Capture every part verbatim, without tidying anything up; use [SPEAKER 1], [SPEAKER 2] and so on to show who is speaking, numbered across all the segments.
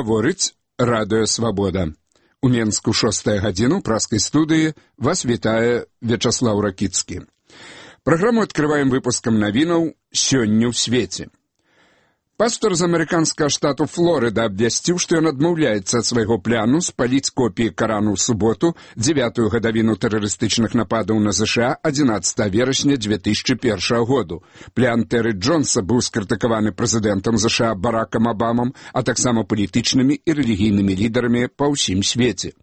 [SPEAKER 1] Гаворыць Радыё Свабода. У Менску шостая гадзіна, ў праскай студыі вас вітае Вячаслаў Ракіцкі. Праграму адкрываем выпускам навінаў «Сёння ў свеце». Пастор з амерыканскага штату Флорыда абвясціў, што ён адмаўляецца ад свайго пляну спаліць копіі Карану ў суботу, дзявятую гадавіну тэрарыстычных нападаў на ЗША адзінаццатага верасня дзве тысячы першага году. Плян Тэры Джонса быў скрытыкаваны прэзідэнтам ЗША Баракам Абамам, а таксама палітычнымі і рэлігійнымі лідарамі па ўсім свеце.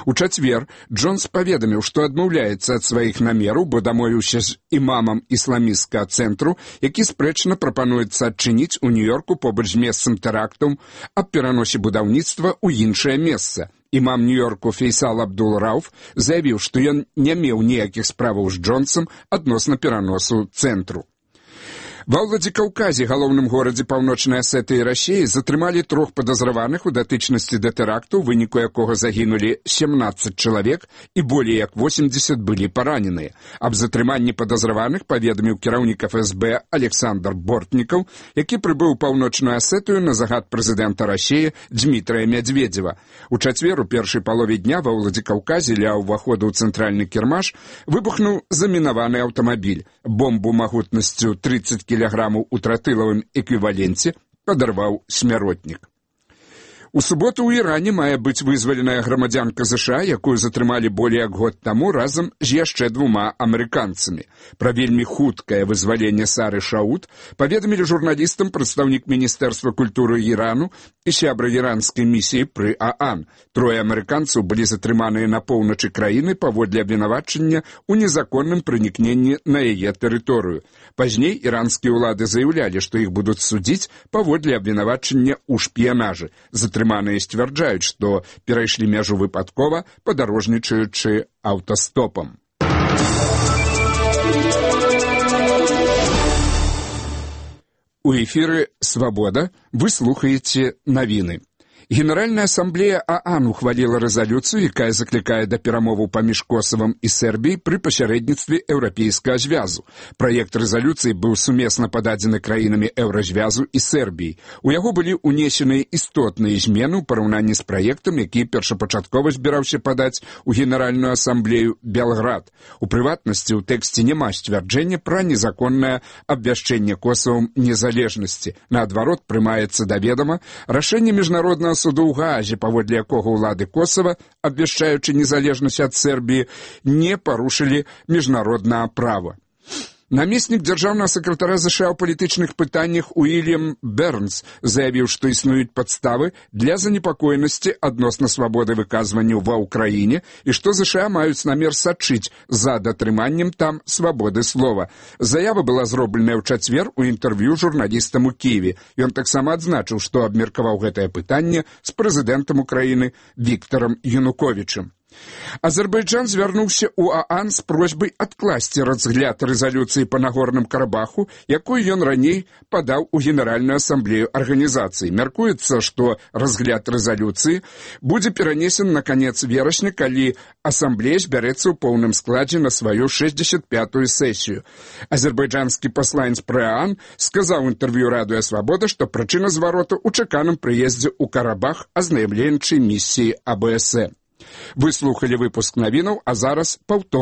[SPEAKER 1] У чацвер Джонс паведаміў, што адмаўляецца ад сваіх намераў, бо дамовіўся з імамам ісламісцкага цэнтру, які спрэчна прапануецца адчыніць у Нью-Йорку побач з месцам тэрактаў аб пераносе будаўніцтва ў іншае месца. Імам Нью-Йорку Фейсал Абдул-Рауф заявіў, што ён не меў ніякіх справаў з Джонсам адносна пераносу цэнтру. Ва Владзікаўказе, галоўным горадзе паўночнай Асетыі Расіі, затрымалі трох падазраваных у датычнасці да тэракту, у выніку якога загінулі сямнаццаць чалавек і болей як восемдзесят былі параненыя. Аб затрыманні падазраваных паведаміў кіраўнік эф эс бэ Александр Бортнікаў, які прыбыў у паўночную Асетыю на загад прэзідэнта Расіі Дзмітрыя Мядзведзева. У чацвер у першай палове дня ва Владзікаўказе ля ўваходу ў цэнтральны кірмаш выбухнуў замінаваны аўтамабіль. Бомбу магутнасцю трыццаць кілаграмаў у тротылавым эквіваленце падарваў смяротнік. У суботу ў Іране мае быць вызваленая грамадзянка ЗША, якую затрымалі болей як год таму разам з яшчэ двума амерыканцамі. Пра вельмі хуткае вызваленне Сары Шаут паведамілі журналістам прадстаўнік Міністэрства культуры Ірану і сябра іранскай місіі пры ААН. Трое амерыканцаў былі затрыманыя на поўначы краіны паводле абвінавачання ў незаконным пранікненні на яе тэрыторыю. Пазней іранскія ўлады заяўлялі, што іх будуць судзіць паводле абвінавачання ў шпіянажы. Затрыманыя сцвярджаюць, што перайшлі мяжу выпадкова, падарожнічаючы аўтастопам. У эфіры «Свабода» вы слухаеце навіны. Генеральная асамблея ААН ухваліла рэзалюцыю, якая заклікае да перамоваў паміж Косавам і Сербіяй пры пасярэдніцтве Еўрапейскага звязу. Праект рэзалюцыі быў сумесна пададзены краінамі Еўразвязу і Сербіяй. У яго былі ўнесеныя істотныя змены ў параўнанні з праектам, які першапачаткова збіраўся падаць у Генеральную асамблею Белград. У прыватнасці, у тэксце няма сцвярджэння пра незаконнае абвяшчэнне Косавам незалежнасці. Наадварот, прымаецца да ведама рашэнне міжнароднага суду ў Гаазе, паводле якога ўлады Косава, абвяшчаючы незалежнасць ад Сербіі, не парушылі міжнароднае права. Намеснік дзяржаўнага сакратара ЗША ў палітычных пытаннях Уільям Бернс заявіў, што існуюць падставы для занепакоенасці адносна свабоды выказванняў ва ўкраіне і што ЗША маюць намер сачыць за датрыманнем там свабоды слова. Заява была зробленая ў чацвер у інтэрв'ю журналістам у Кіеве. Ён таксама адзначыў, што абмеркаваў гэтае пытанне з прэзідэнтам Украіны Віктарам Януковічам. Азербайджан звярнуўся ў ААН з просьбай адкласці разгляд рэзалюцыі па Нагорным Карабаху, якую ён раней падаў у Генеральную асамблею арганізацыі. Мяркуецца, што разгляд рэзалюцыі будзе перанесен на канец верасня, калі асамблея збярэцца ў поўным складзе на сваю шэсцьдзесят пятую сесію. Азербайджанскі пасланец пры ААН сказаў у інтэрв'ю Радыё Свабода, што прычына звароту ў чаканым прыездзе ў Карабах азнаймленчай місіі АБС. Вы слухалі выпуск навінаў, а зараз паўтор.